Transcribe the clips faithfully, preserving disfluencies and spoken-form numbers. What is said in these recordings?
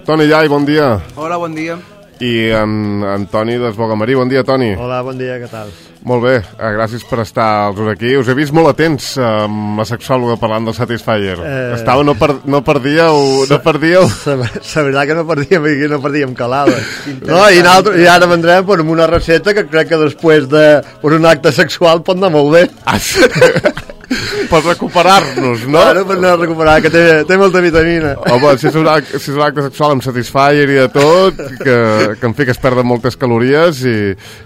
Toni Llai, bon dia. Hola, bon dia. I en Antoni d'Esbogamarí. Bon dia, Toni. Hola, bon dia, què tal? Molt bé, eh, gràcies per estar aquí. Us he vist molt atents eh, amb la sexòloga parlant del Satisfyer. Eh... Estava, no, per, no perdíeu... No perdíeu... La veritat que no perdíem, no perdíem calada. No, i, I ara vendrem pues, amb una recepta que crec que després de pues, un acte sexual pot anar molt bé. Ah, sí. Per recuperar-nos, no? Claro, per anar a recuperar, que té, té molta vitamina. Home, si és, un acte, si és un acte sexual amb Satisfyer i de tot, que, que en fi que es perden moltes calories i,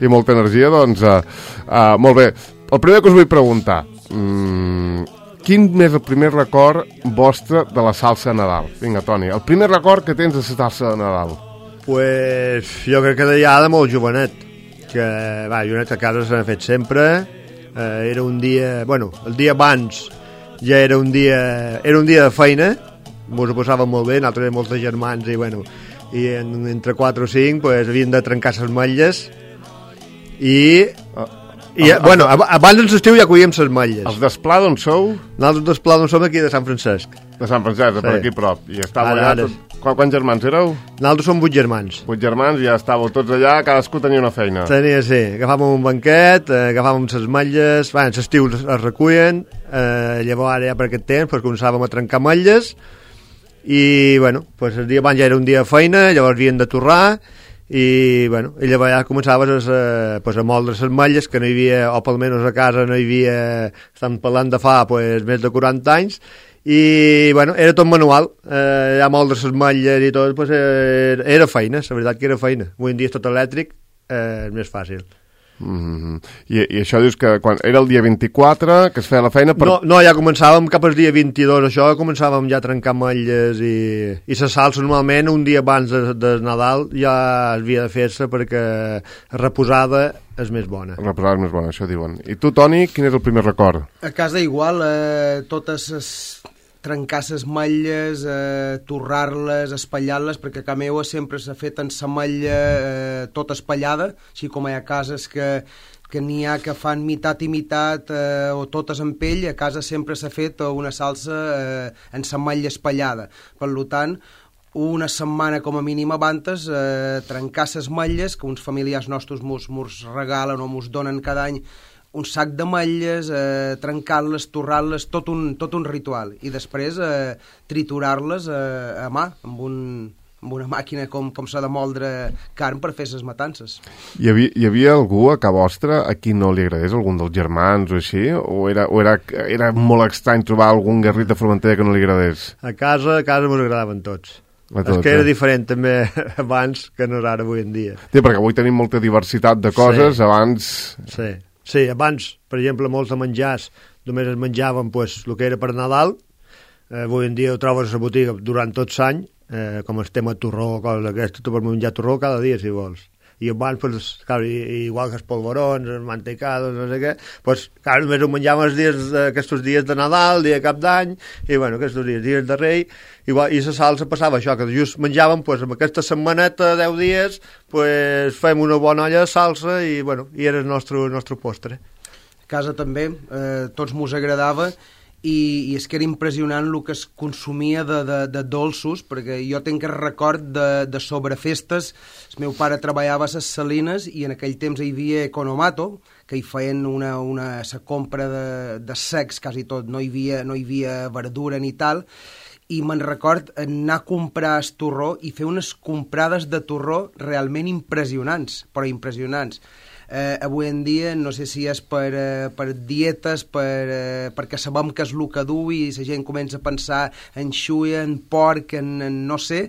i molta energia, doncs, uh, uh, molt bé. El primer que us vull preguntar, um, quin és el primer record vostre de la salsa de Nadal? Vinga, Toni, el primer record que tens de la salsa de Nadal? Pues jo crec que ja de molt jovenet, que va, jovenet a casa s'ha fet sempre. Uh, era un dia, bueno, el dia abans ja era un dia, era un dia de feina, mos ho passàvem molt bé, nosaltres érem molts germans i bueno, i en, entre quatre o cinc pues, havien de trencar les motlles i, uh, i uh, bueno, ab abans en l'estiu ja collíem les motlles. Els d'Esplà d'on sou? Nosaltres d'Esplà d'on som aquí de Sant Francesc. De Sant Francesc, sí. Per aquí prop. I estàveu allà, tot... Qu quants germans éreu? Nosaltres som vuit germans. Vuit germans i ja estàveu tots allà, cadascú tenia una feina. Tenia, sí. Agafàvem un banquet, eh, agafàvem les motlles, bueno, l'estiu es recullen, eh, llavors ara ja per aquest temps pues, començàvem a trencar motlles i, bueno, pues, el dia abans ja era un dia de feina, llavors havien de torrar i, bueno, i llavors ja començaves a, pues, a moldre les motlles que no hi havia, o pel menys a casa no hi havia, estan parlant de fa pues, més de quaranta anys. I, bueno, era tot manual, eh, ja moldre les motlles i tot, pues, era, era feina, la veritat que era feina. Avui en dia és tot elèctric, eh, és més fàcil. Mm-hmm. I, I això dius que quan era el dia vint-i-quatre que es feia la feina per... No, no, ja començàvem cap al dia vint-i-dos, això, començàvem ja a trencar motlles i, i la salsa normalment un dia abans de, de Nadal ja havia de fer-se perquè reposada és més bona. Reposada és més bona, això diuen. I tu, Toni, quin és el primer record? A casa igual, eh, totes les... trencar les motlles, eh, torrar-les, espatllar-les, perquè a casa meva sempre s'ha fet en la motlla eh, tota espatllada, així com hi ha cases que, que n'hi ha que fan mitat i mitat eh, o totes en pell, a casa sempre s'ha fet una salsa eh, en la motlla espatllada. Per tant, una setmana com a mínim abans eh, trencar les motlles, que uns familiars nostres mos, mos regalen o mos donen cada any un sac de motlles, eh, trencar-les, torrar-les, tot un, tot un ritual. I després eh, triturar-les eh, a mà, amb, un, amb una màquina com, com s'ha de moldre carn per fer les matances. Hi havia, hi havia algú a casa vostra a qui no li agradés, algun dels germans o així? O era, o era, era molt estrany trobar algun garrit de Formentera que no li agradés? A casa, a casa mos agradaven tots. A tots, és que era eh? diferent també abans que no és ara avui en dia. Sí, perquè avui tenim molta diversitat de coses, sí. Abans... Sí. Sí, abans, per exemple, molts de menjars només es menjaven pues, el que era per Nadal. Eh, avui en dia ho trobes a la botiga durant tot l'any, eh, com el tema torró, coses d'aquestes, tu pots menjar torró cada dia si vols. I abans, pues, clar, igual que els polvorons, els mantecados, no sé què, pues, clar, només ho menjàvem els dies, aquests dies de Nadal, dia de Cap d'Any, i bueno, aquests dies, dies de Rei, igual, i la salsa passava això, que just menjàvem, pues, amb aquesta setmaneta, deu dies, pues, fem una bona olla de salsa i, bueno, i era el nostre, el nostre postre. A casa també, eh, tots mos agradava, i, i és que era impressionant el que es consumia de, de, de dolços, perquè jo tinc el record de, de sobrefestes. El meu pare treballava a les Salines i en aquell temps hi havia Economato, que hi feien una, una, la compra de, de secs, quasi tot, no hi havia, no hi havia verdura ni tal, i me'n record anar a comprar el torró i fer unes comprades de torró realment impressionants, però impressionants. Eh, avui en dia no sé si és per, eh, per dietes, per, eh, perquè sabem que és el que du i la gent comença a pensar en xuia, en porc, en, en no sé,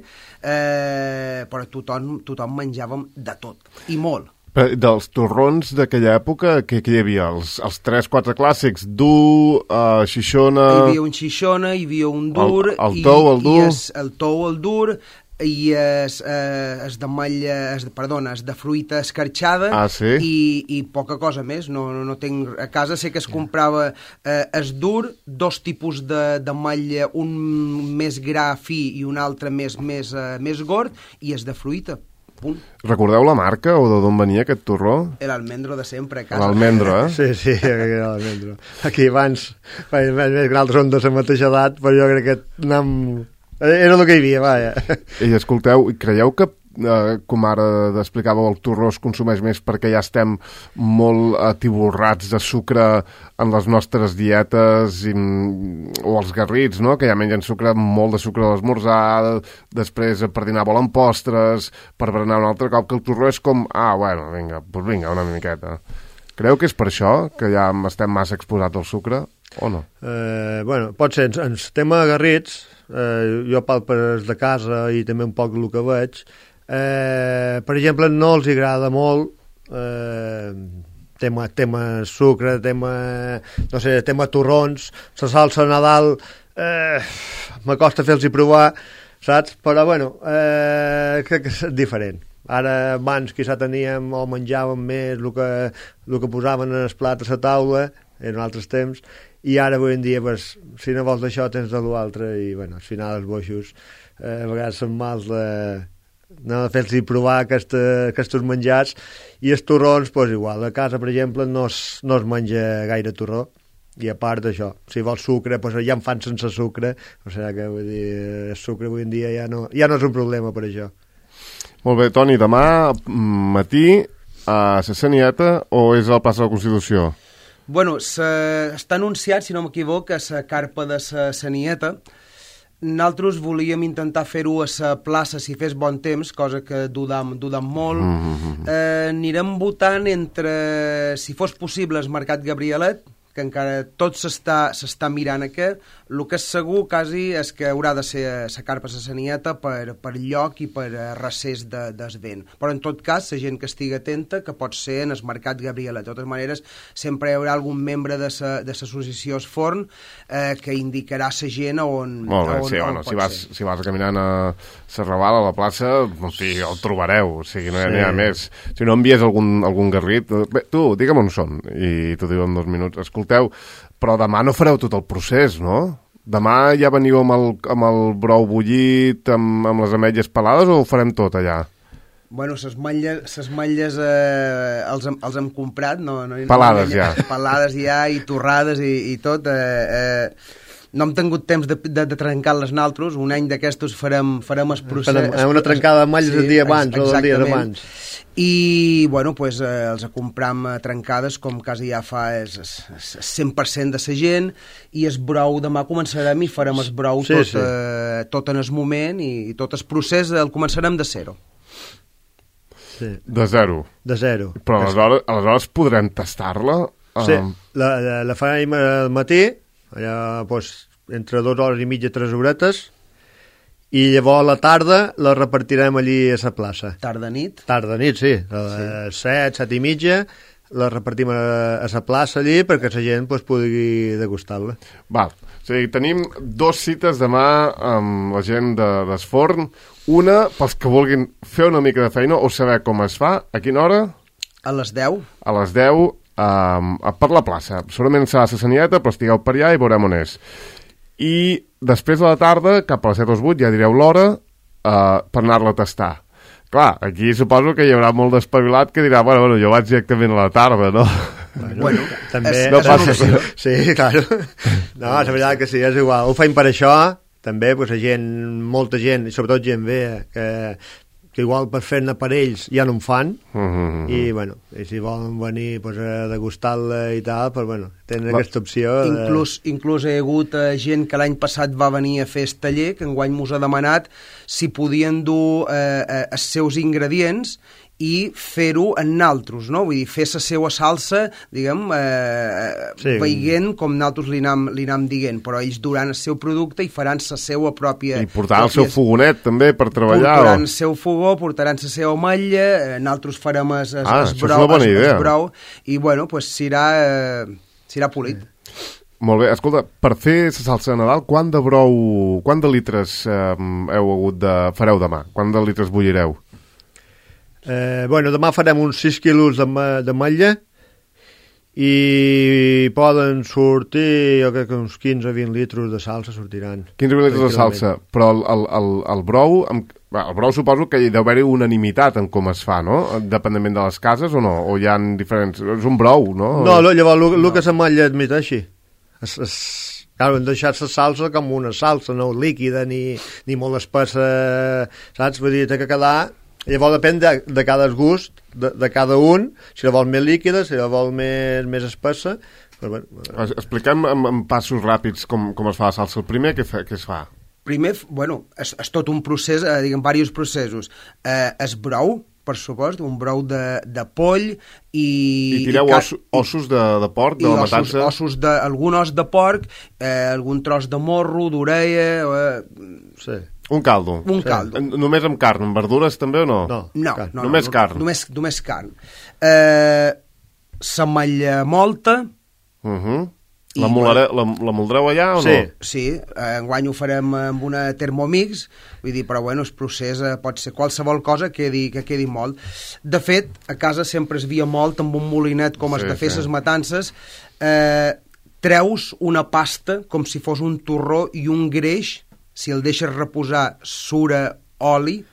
eh, però tothom, tothom menjàvem de tot, i molt. Dels torrons d'aquella època, què, què hi havia? Els, els tres, quatre clàssics, dur, uh, xixona... Hi havia un xixona, hi havia un dur... El, el tou, el dur... I es, el tou, el dur... i es, eh, es de malla, es, perdona, es de fruita escarxada, ah, sí? i, i poca cosa més. No, no, no tinc, a casa sé que es comprava eh, es dur, dos tipus de, de malla, un més gra fi i un altre més, més, eh, més gord, i es de fruita. Punt. Recordeu la marca o d'on venia aquest torró? L'almendro de sempre a casa. L'almendro, eh? Sí, sí, l'almendro. Aquí abans, més que nosaltres som de la mateixa edat, però jo crec que anem Era el que hi havia, vaja. I escolteu, creieu que, eh, com ara explicàveu, el torró es consumeix més perquè ja estem molt atiborrats de sucre en les nostres dietes i, o els garrits, no?, que ja mengen sucre, molt de sucre a l'esmorzar, després per dinar volen postres, per berenar un altre cop, que el torró és com, ah, bueno, vinga, doncs vinga, una miqueta. Creu que és per això, que ja estem massa exposats al sucre, o no? Eh, bueno, pot ser, en, en tema garrits, eh, jo pel per de casa i també un poc el que veig, eh, per exemple, no els agrada molt eh, tema, tema sucre, tema, no sé, tema torrons, la salsa a Nadal, eh, m'acosta fer-los provar, saps? Però, bueno, eh, crec que és diferent. Ara, abans, quizà teníem o menjàvem més el que, el que posaven en el plat a la taula, en altres temps, i ara, avui en dia, pues, si no vols això, tens de l'altre, i, bueno, al final, els boixos, eh, a vegades són mals de, no, de fer-los provar aquesta, aquests menjars, i els torrons, pues, igual, a casa, per exemple, no es, no es menja gaire torró, i a part d'això, si vols sucre, pues, ja en fan sense sucre, o sigui que, vull dir, el sucre avui en dia ja no, ja no és un problema per això. Molt bé, Toni, demà matí a la Sanieta o és al plaça de la Constitució? Bueno, està anunciat, si no m'equivoc, a la carpa de la Sanieta. Nosaltres volíem intentar fer-ho a la plaça si fes bon temps, cosa que dudam, dudam molt. Mm-hmm. Eh, anirem votant entre, si fos possible, el Mercat Gabrielet, que encara tot s'està s'està mirant aquí. El que és segur quasi és que haurà de ser la carpa a la Sanieta per, per lloc i per recés de, del vent. Però en tot cas, la gent que estigui atenta, que pot ser en el Mercat Gabrielet. De totes maneres, sempre hi haurà algun membre de l'associació Esforn eh, que indicarà la gent on, Molt bé, on, sí, on bueno, pot si vas, ser. si vas caminant a Serraval, a la plaça, en fi, el trobareu, o sigui, no hi ha, sí. ha més. Si no envies algun, algun garrit, bé, tu, digue'm on són, i t'ho diu en dos minuts. Escolteu, però demà no fareu tot el procés, no? Demà ja veniu amb el, amb el brou bullit, amb, amb les ametlles pelades, o ho farem tot allà? Bueno, ses malles, ses malles eh, els, hem, els hem comprat, no, no, pelades no, ja. Pelades ja, i torrades i, i tot. Eh, eh, no hem tingut temps de, de, de trencar-les naltros, un any d'aquestos farem, farem el procés. Farem una trencada de malles sí, el dia abans o el dia d'abans. I, bueno, pues, eh, els compram eh, trencades, com quasi ja fa és, és, és cent per cent de la gent, i el brou demà començarem i farem el brou sí, tot, sí. Eh, tot en el moment, i, i tot el procés el començarem de zero. Sí. De zero? De zero. Però aleshores, aleshores podrem tastar-la? Sí, um... la, la, la farem al matí, allà, doncs, entre dues hores i mitja, tres horetes, i llavors a la tarda la repartirem allí a la plaça. Tarda-nit? Tarda-nit, sí. A les set, set i mitja, la repartim a, a la plaça allí perquè la gent pues, pugui degustar-la. Val. O sigui, tenim dos cites demà amb la gent de d'Esforn. Una, pels que vulguin fer una mica de feina o saber com es fa, a quina hora? A les deu. A les deu, um, per la plaça. Segurament serà a la Sanieta, però estigueu per allà i veurem on és. I després de la tarda, cap a les set o vuit, ja direu l'hora uh, per anar-la a tastar. Clar, aquí suposo que hi haurà molt d'espavilat que dirà, bueno, bueno, jo vaig directament a la tarda, no? Bueno, bueno també... És, no és passa... Sí, claro. No, és veritat que sí, és igual. Ho feim per això, també, pues, la gent, molta gent, i sobretot gent bé, que, que igual per fer-ne per ells ja no en fan, mm-hmm. i, bueno, i si volen venir pues, a degustar-la i tal, pues, bueno, tenen La... aquesta opció. De... Inclús, inclús hi ha hagut eh, gent que l'any passat va venir a fer el taller, que enguany mos ha demanat si podien dur eh, eh, els seus ingredients i fer-ho en naltros, no? Vull dir, fer la seva salsa, diguem, eh, sí. veient com naltros li anam, li anam dient, però ells duran el seu producte i faran la seva pròpia... I portaran el seu fogonet, també, per treballar. Portaran o... el seu fogó, portaran la seva ametlla, eh, naltros farem el, el, ah, el, brou, el, el brou, i, bueno, pues, serà, eh, serà polit. Sí. Molt bé, escolta, per fer la salsa de Nadal, quant de brou, quant de litres eh, heu hagut de... fareu demà? Quant de litres bullireu? Eh, bueno, demà farem uns sis quilos de, de malla i poden sortir, jo crec que uns quinze o vint litres de salsa sortiran. quinze o vint litres de salsa, però el, el, el, el brou, el brou suposo que hi deu haver-hi unanimitat en com es fa, no? Dependent de les cases o no? O hi ha diferents... És un brou, no? No, llavors, el, el no. que la malla admet així. Es, es, Claro, hem deixat la salsa com una salsa, no líquida ni, ni molt espessa, saps? Vull dir, té que quedar... Llavors depèn de, de cada gust, de, de cada un, si la vol més líquida, si la vol més, més espessa... Però, bueno, expliquem en, en passos ràpids com, com es fa la salsa. El primer, què, fa, què es fa? Primer, bueno, és, és tot un procés, eh, diguem, diversos processos. Eh, es brou, per supost, un brou de, de poll i... I tireu i os, ossos de, de porc, de la matança? I ossos de... Algun os de porc, eh, algun tros de morro, d'orella... Eh, sí. Un caldo. Un sí. caldo. Només amb carn, amb verdures també o no? No, no, carn. no només no, carn. Només, només carn. Eh, S'ametlla molta. Uh -huh. La, molare, la, la moldreu allà o sí. no? Sí, eh, enguany ho farem amb una Thermomix, vull dir, però bueno, el procés eh, pot ser qualsevol cosa que quedi, que quedi molt. De fet, a casa sempre es via molt amb un molinet com es sí, de fer ses sí. matances, eh, treus una pasta com si fos un torró i un greix, si el deixes reposar sura oli,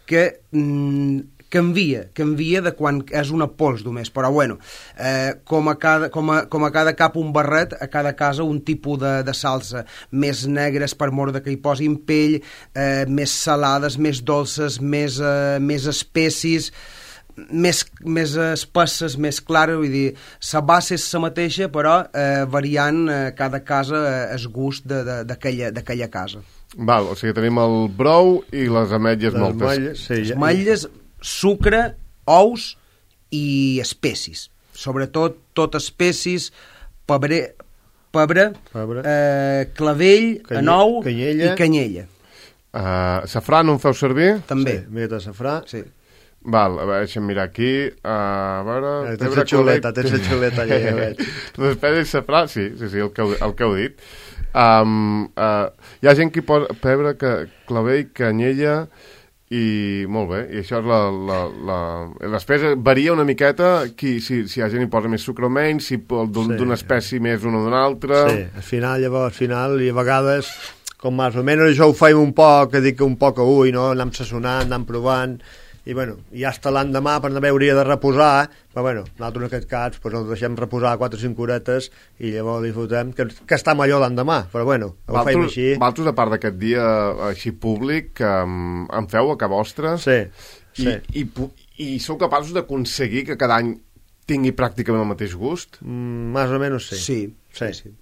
que mm, canvia, canvia de quan és una pols només, però bueno, eh, com, a cada, com, a, com a cada cap un barret, a cada casa un tipus de, de salsa, més negres per mort de que hi posin pell, eh, més salades, més dolces, més, eh, més espècies, més, més espesses, més clares, vull dir, la base és la mateixa, però eh, variant eh, cada casa eh, el gust d'aquella casa. Val, o sigui, tenim el brou i les ametlles les moltes. Ametlles, sí, les ametlles, sucre, ous i espècies. Sobretot, tot espècies, pebre, pebre, pebre. Eh, clavell, Canye, anou canyella. i canyella. Uh, safrà no en feu servir? També. Sí, mica de safrà. Sí. Val, a veure, deixa'm mirar aquí. Uh, a veure... Eh, tens la xuleta, tens la xuleta allà, ja veig. Després de safrà, sí, sí, sí, el que heu, el que heu dit. Um, uh, hi ha gent que hi posa pebre, que, clavell, canyella i molt bé, i això és la, la, la... després varia una miqueta qui, si, si hi ha gent hi posa més sucre o menys, si d'una sí. espècie més una o d'una altra. Sí, al final, llavors, al final, i a vegades com més o menys això ho feim un poc, que dic un poc a ull, no? Anem sazonant, anem provant, i bueno, ja està l'endemà per no hauria de reposar, però bueno, nosaltres en aquest cas pues, el deixem reposar quatre o cinc horetes i llavors disfrutem, que, que està millor l'endemà, però bueno, ho Valtros, feim així. Valtros, a part d'aquest dia així públic, um, en feu a casa vostra? Sí, sí. I, i, i sou capaços d'aconseguir que cada any tingui pràcticament el mateix gust? Mm, més o menys sí. Sí, sí. sí.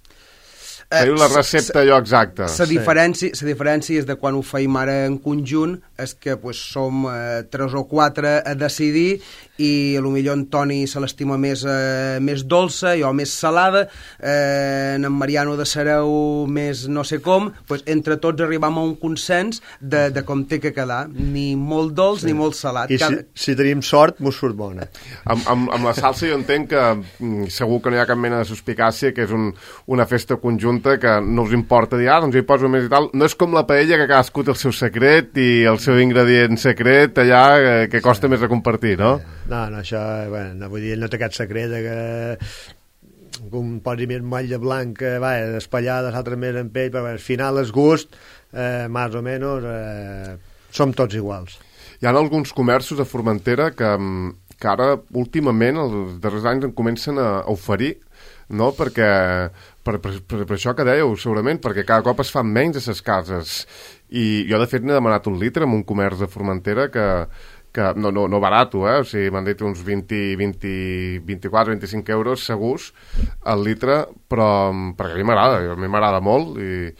Teniu la recepta allò exacta. La diferència, la diferència és de quan ho feim ara en conjunt és que pues, som eh, tres o quatre a decidir i potser en Toni se l'estima més, eh, més dolça, jo més salada, eh, en Mariano de Sareu més no sé com, pues, entre tots arribam a un consens de, de com té que quedar, ni molt dolç sí. ni molt salat. I Cada... si, si tenim sort, mos surt bona. Amb, amb, amb la salsa jo entenc que segur que no hi ha cap mena de suspicàcia, que és un, una festa conjunta que no us importa dir, ah, doncs hi poso més i tal. No és com la paella, que cadascú té el seu secret i el seu ingredient secret allà que, que costa sí. més de compartir, no? No, no, això, bueno, no, vull dir, no té aquest secret que un posi més motlla blanca, va, espallada, l'altre més en pell, però al final el gust, eh, més o menys, eh, som tots iguals. Hi ha alguns comerços a Formentera que, que ara, últimament, els darrers anys, en comencen a oferir, no?, perquè per, per, per, per això que dèieu, segurament, perquè cada cop es fan menys a ses cases. I jo, de fet, n'he demanat un litre en un comerç de Formentera que, que no, no, no barato, eh? O sigui, m'han dit uns vint, vint, vint-i-quatre, vint-i-cinc euros segurs al litre, però perquè a mi m'agrada, a mi m'agrada molt i...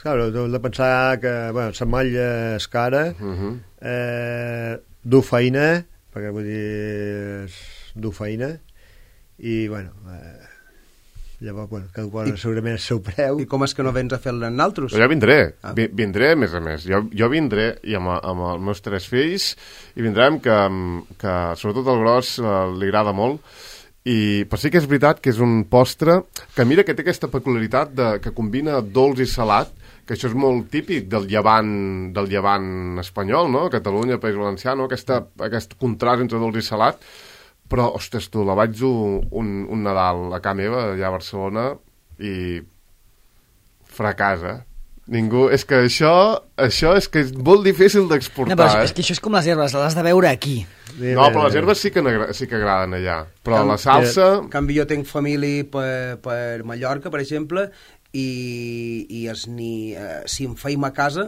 Claro, heu de pensar que, bueno, la malla és cara, uh -huh. eh, du feina, perquè vull dir, du feina, i, bueno, eh, llavors, bueno, cada qual I, segurament el seu preu. I com és que no vens a fer-la en altres? Jo vindré, ah. vindré a més a més. Jo, jo vindré i amb, amb els meus tres fills i vindrem que, que sobretot el gros uh, li agrada molt. I, però sí que és veritat que és un postre que mira que té aquesta peculiaritat de, que combina dolç i salat, que això és molt típic del llevant, del llevant espanyol, no? Catalunya, País Valencià, no? Aquesta, aquest contrast entre dolç i salat. Però, ostres, tu, la vaig dur un, un Nadal a casa meva, allà a Barcelona, i fracasa. Ningú... És que això, això és que és molt difícil d'exportar, no, però és, eh? és que això és com les herbes, les has de veure aquí. No, però les herbes sí que, sí que agraden allà. Però Can, la salsa... En canvi, jo tinc família per, per Mallorca, per exemple, i, i es ni, eh, si em feim a casa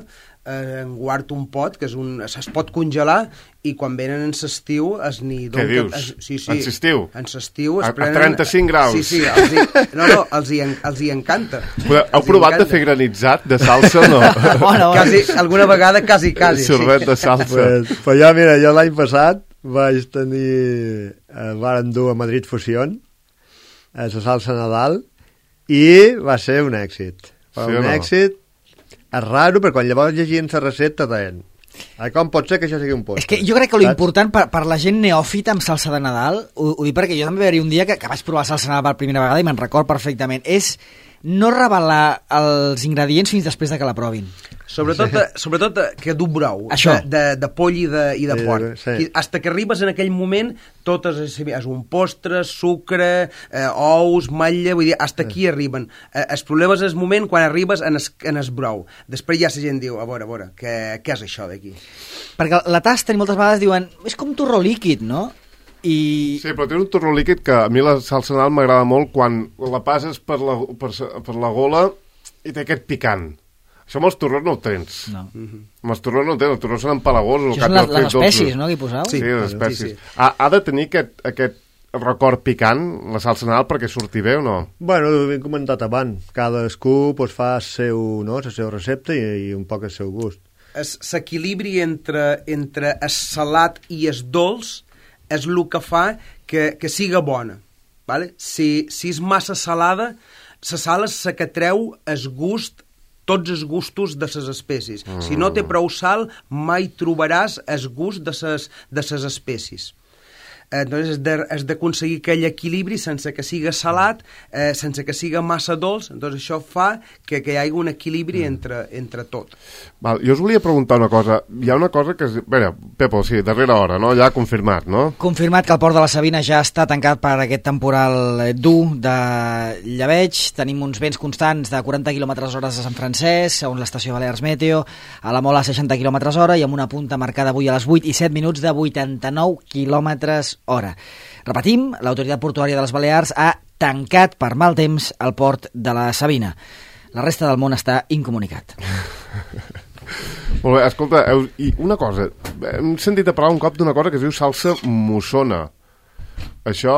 eh, en guardo un pot que és un, es pot congelar i quan venen en s'estiu es ni... Què dius? Es, sí, sí, en s'estiu? En s'estiu es a, prenen... a trenta-cinc graus? Sí, sí, els hi, no, no, els hi, els hi encanta. Heu els provat encanta. de fer granitzat de salsa o no? Bona, bona. Quasi, alguna vegada quasi, quasi. Sorbet Sí. de salsa. Pues, pues jo, mira, jo l'any passat vaig tenir... Eh, varen dur a Madrid Fusión, a la salsa Nadal, i va ser un èxit. Sí Però o un no? èxit és raro, perquè quan llavors llegien la recepta deien "Ai, com pot ser que això sigui un postre?" És que jo crec que lo Saps? important per, per la gent neòfita amb salsa de Nadal, ho, ho dic perquè jo també va haver un dia que, que vaig provar salsa de Nadal per primera vegada i me'n record perfectament, és no revelar els ingredients fins després de que la provin. Sobretot, sobretot que du brou, Això. de, de, de poll i de, i de Sí, porc. sí. I hasta que arribes en aquell moment, tot és, és un postre, sucre, eh, ous, matlla, vull dir, hasta aquí arriben. Eh, el problema és el moment quan arribes en es, en es brou. Després ja la gent diu, a veure, a veure, què, què és això d'aquí? Perquè la tasta i moltes vegades diuen és com torró líquid, no? I... Sí, però té un torró líquid que a mi la salsa Nadal m'agrada molt quan la passes per la, per, per la gola i té aquest picant. Això amb els torrons no ho tens. No. Amb els torrons no ho tens, els torrons són empalagosos. Això són les, les espècies, no, que hi poseu? Sí, sí, les espècies. sí, sí. Ha, ha de tenir aquest, aquest record picant, la salsa Nadal, perquè surti bé o no? Bueno, ho hem comentat abans. Cadascú pues, fa el seu, no, la seva recepta i, i un poc el seu gust. L'equilibri entre, entre el salat i el dolç és el que fa que, que siga bona. Vale? Si, si és massa salada, la sal és la que treu el gust, tots els gustos de les espècies. Mm. Si no té prou sal, mai trobaràs el gust de les de ses espècies. Eh, doncs és de- és d'aconseguir aquell equilibri sense que siga salat, eh, sense que siga massa dolç, doncs això fa que, que hi hagi un equilibri mm. entre, entre tot. Val, jo us volia preguntar una cosa. Hi ha una cosa que... Es... Bé, Pepo, sí, darrera hora, no? Ja confirmat, no? Confirmat que el port de la Sabina ja està tancat per aquest temporal eh, dur de lleveig. Tenim uns vents constants de quaranta quilòmetres hora a Sant Francesc, segons l'estació Balears Meteo, a la Mola seixanta quilòmetres hora i amb una punta marcada avui a les vuit i set minuts de vuitanta-nou quilòmetres hora. Repetim, l'autoritat portuària de les Balears ha tancat per mal temps el port de la Sabina. La resta del món està incomunicat. Molt bé, escolta, heu... i una cosa, hem sentit a parlar un cop d'una cosa que es diu salsa mossona. Això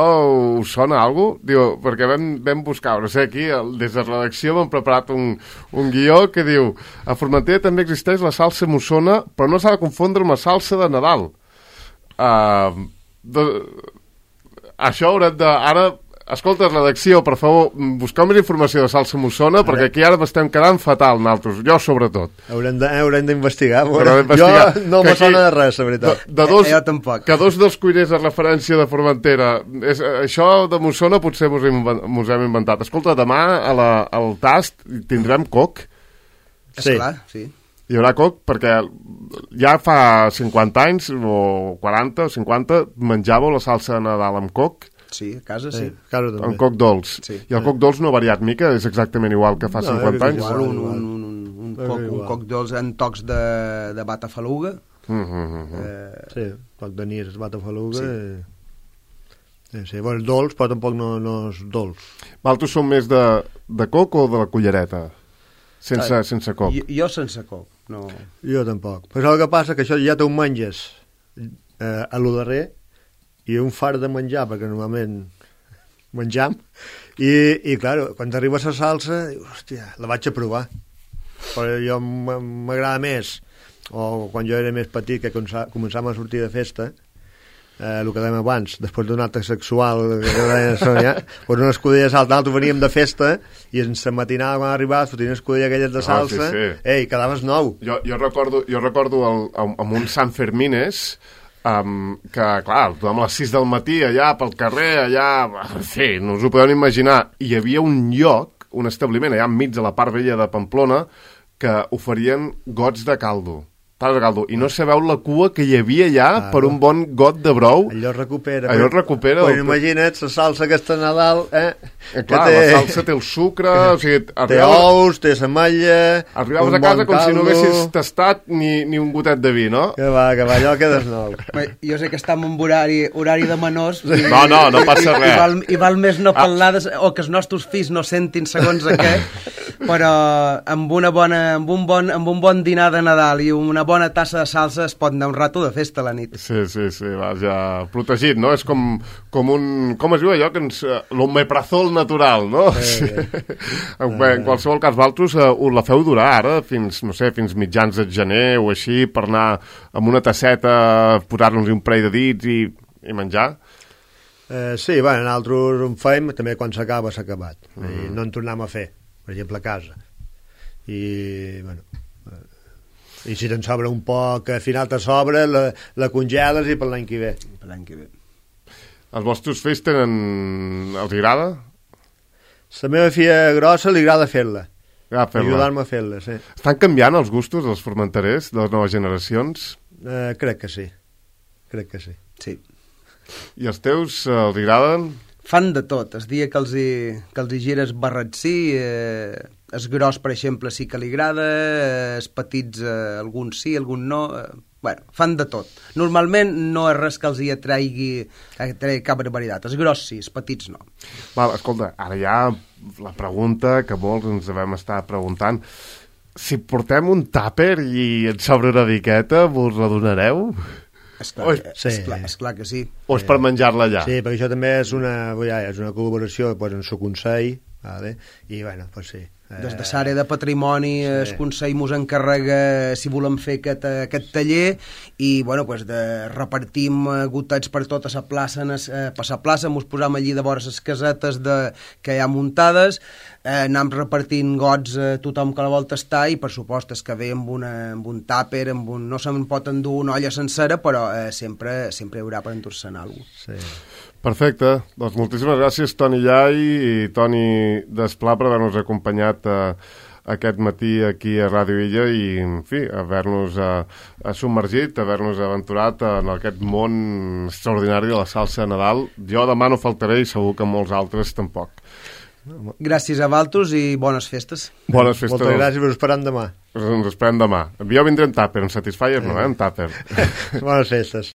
us sona a alguna cosa? Diu, perquè vam, vam buscar, no sé, aquí, el- des de redacció m'han preparat un, un guió que diu a Formentera també existeix la salsa mossona, però no s'ha de confondre amb la salsa de Nadal. Uh, de... Això haurem de... Ara, escolta, redacció, per favor, busqueu més informació de salsa mossona, perquè aquí ara m'estem quedant fatal, naltros, jo sobretot. Haurem de- eh, haurem d'investigar. Haurem d'investigar. Jo no Que me aquí- sona de res, la veritat. De, de dos, Eh, jo tampoc. Que dos dels cuiners de referència de Formentera. És, això de Mossona potser mos hem, inven- mos hem inventat. Escolta, demà a la, al tast tindrem coc. Sí. Esclar, sí. Hi haurà coc perquè ja fa cinquanta anys o quaranta o cinquanta menjàveu la salsa de Nadal amb coc, Sí, a casa sí. Sí, claro, també. amb coc dolç. Sí. I el coc dolç no ha variat mica, és exactament igual que fa No, cinquanta és anys. igual. Igual, un, un, un, un, un, És coc, un igual. coc dolç en tocs de, de batafaluga. Mm -hmm. Eh, Sí, poc de nís, es bata faluga. Sí. I... Sí, sí. Bueno, és dolç, però tampoc no, no és dolç. Valtos són més de, de coc o de la cullereta? Sense, Ah, sense coc. jo, jo sense coc, no. Jo tampoc. Però el que passa que això ja te ho menges eh, a lo darrer i un far de menjar, perquè normalment menjam, i, i clar, quan t'arriba la salsa, dius, hòstia, la vaig a provar. Però jo m- m'agrada més, o quan jo era més petit, que comença- començàvem a sortir de festa, eh, el que dèiem abans, després d'un acte sexual, que deia Sònia, doncs una escudella de salsa, nosaltres veníem de festa, i en la matinada quan arribaves, fotien escudella aquelles de salsa, Ah, sí, sí. ei, quedaves nou. Jo, jo recordo, jo recordo el, amb, amb un Sant Fermines um, que, clar, tothom a les sis del matí allà pel carrer, allà... En fi, no us ho podeu ni imaginar. Hi havia un lloc, un establiment allà enmig de la part vella de Pamplona que oferien gots de caldo. Tals de caldo. I no sabeu la cua que hi havia allà Ah, per un bon got de brou. Allò es recupera. Allò es recupera. Pues imagina't la salsa aquesta de Nadal, eh? Eh, clar, que la salsa té el sucre, o sigui... té arribaves- ous, té l'ametlla... Arribaves un a casa bon com si no caldo. haguessis tastat ni, ni un gotet de vi, no? Que va, que va, allò quedes nou. Bé, jo sé que estem en horari, horari de menors i, No, no, no passa i, res. i, val, i val més no parlar de, o que els nostres fills no sentin segons a què, però amb, una bona, amb, un bon, amb un bon dinar de Nadal i una bona tassa de salsa es pot anar un rato de festa a la nit. Sí, sí, sí, vaja, protegit, no? És com, com un... Com es diu allò? Que ens... L'omeprazol natural, no? Sí. En, en qualsevol cas, vosaltres uh, us la feu durar ara, fins, no sé, fins mitjans de gener o així, per anar amb una tasseta, posar-nos un parell de dits i, i menjar? Eh, sí, bueno, nosaltres en fem, també quan s'acaba s'ha acabat. Mm. I no en tornem a fer, per exemple, a casa. I, bueno... I si te'n sobra un poc, al final te sobra, la, la congeles i per l'any que ve. Per l'any que ve. Els vostres fills tenen... Els agrada? La meva filla grossa li agrada fer-la. Ah, fer-la. Ajudar-me a fer-la, sí. Estan canviant els gustos dels formenterers, de les noves generacions? Eh, crec que sí. Crec que sí. Sí. I els teus eh, els agraden? Fan de tot. El dia que els hi, que els hi gires barretcí, eh, el gros, per exemple, sí que li agrada, eh, els petits, eh, algun sí, algun no... Eh, bueno, fan de tot. Normalment no és res que els hi atraigui, atraigui cap barbaritat. Els gros sí, els petits no. Val, escolta, ara hi ha la pregunta que molts ens devem estar preguntant. Si portem un tàper i et sobra una miqueta, vos la donareu? Esclar, Oi, que, sí. esclar, esclar que sí. O és per menjar-la allà? Sí, perquè això també és una, ja, és una col·laboració pues, en el Consell, vale? I bueno, pues sí. Des de l'àrea de patrimoni, sí. El Consell mos encarrega si volem fer aquest, aquest taller i bueno, pues de, repartim gotets per tota la plaça, eh, per la plaça mos posam allí de vora les casetes de, que hi ha muntades, eh, anem repartint gots a tothom que la vol tastar i per supost és que ve amb, una, amb un tàper, amb un, no se'n pot endur una olla sencera, però eh, sempre, sempre hi haurà per endur-se'n alguna cosa. Sí. Perfecte, doncs moltíssimes gràcies Toni Llai i Toni Desplà per haver-nos acompanyat eh, aquest matí aquí a Ràdio Illa i, en fi, haver-nos eh, submergit, haver-nos aventurat en aquest món extraordinari de la salsa de Nadal. Jo demà no faltaré i segur que molts altres tampoc. Gràcies a Valtos i bones festes. Bones festes. Moltes gràcies, us esperem demà. Ens esperem demà. Jo vindré en tàper, en Satisfyer no, eh, en tàper. Bones festes.